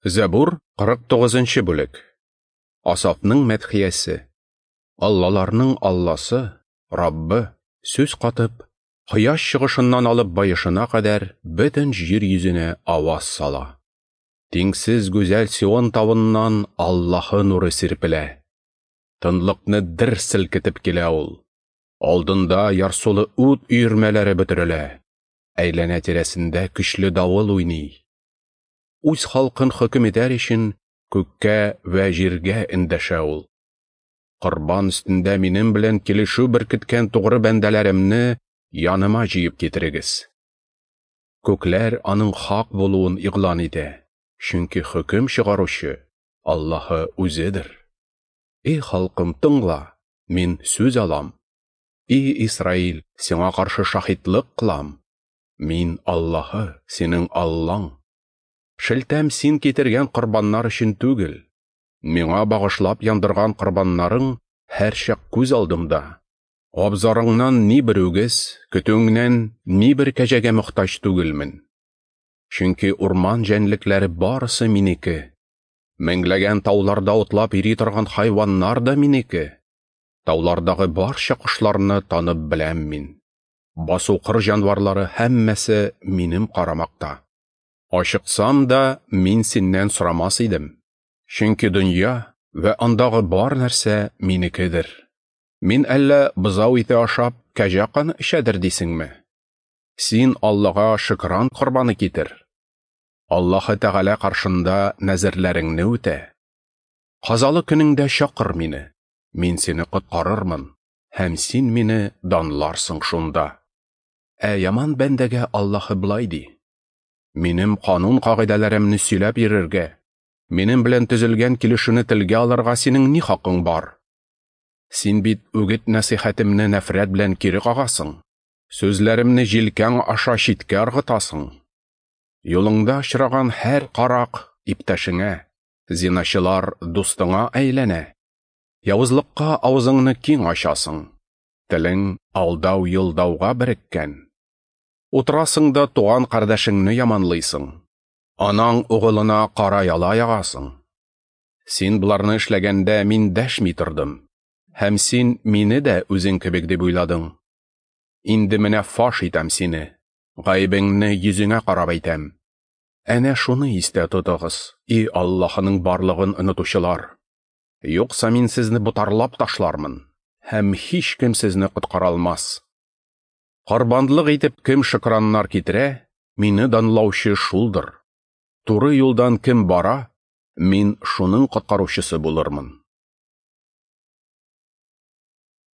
Зәбур, 49 бүлек. Асафның мәдхиясе. Аллаларның Алласы, Раббы, сүз катып, кояш чыгышыннан алып баешына кадәр бөтен җир йөзенә аваз сала. Тиңсез гүзәл Сион тавыннан Аллаһы нуры сирпелә. Тынлыкны дер селкетеп килә ул. Алдында ярсулы ут өермәләре бөтерелә. Әйләнә-тирәсендә көчле давыл уйный. Үз халкын хөкем итәр өчен күккә вә җиргә эндәшә ул. Корбан өстендә минем белән килешү беркеткән тугры бәндәләремне яныма җыеп китерегез. Күкләр аның хак булуын игълан итә, чөнки хөкем чыгаручы Аллаһы үзедер. Эй халкым, тыңла, мин сүз алам. И Исраил, сиңа каршы шаһитлык кылам. Мин Аллаһы, синең Аллаң. Шелтәм син китергән корбаннар өчен түгел. Миңа багышлап яндырган корбаннарың һәрчак күз алдымда. Абзарыңнан ни бер үгез, көтүеңнән ни бер кәҗәгә мохтаҗ түгелмен. Чөнки урман җәнлекләре барысы минеке. Меңләгән тауларда утлап йөри торган хайваннар да минеке. Таулардагы барча кошларны танып беләм мин. Басу-кыр җанварлары һәммәсе минем карамакта. Ачыксам да, мин синнән сорамас идем. Чөнки дөнья вә андагы бар нәрсә минекедер. Мин әллә бозау ите ашап, кәҗә каны эчәдер дисеңме? Син Аллага шөкран корбаны китер. Аллаһы Тәгалә каршында нәзерләреңне үтә. Казалы көнеңдә чакыр мине, мин сине коткарырмын, һәм син мине данларсың шунда. Ә яман бәндәгә Аллаһы болай ди: Минем канун кагыйдәләремне сөйләп йөрергә, минем белән төзелгән килешүне телгә алырга синең ни хакың бар? Син бит үгет-нәсыйхәтемне нәфрәт белән кире кагасың, сүзләремне җилкәң аша читкә ыргытасың. Юлыңда очраган һәр карак иптәшеңә, зиначылар дустыңа әйләнә. Явызлыкка авызыңны киң ачасың, телең алдау-йолдауга береккән. Утырасың да туган кардәшеңне яманлыйсың, анаң угылына кара яла ягасың. Син боларны эшләгәндә мин дәшми тордым, һәм син мине дә үзең кебек дип уйладың. Инде менә фаш итәм сине, гаебеңне йөзеңә карап әйтәм. Әнә шуны истә тотыгыз, и Аллаһының барлыгын онытучылар. Юкса мин сезне ботарлап ташлармын, һәм һичкем сезне коткара алмас. Корбанлык итеп кем шөкраннар китерә, мине данлаучы шулдыр. Туры юлдан кем бара, мин шуның коткаручысы булырмын.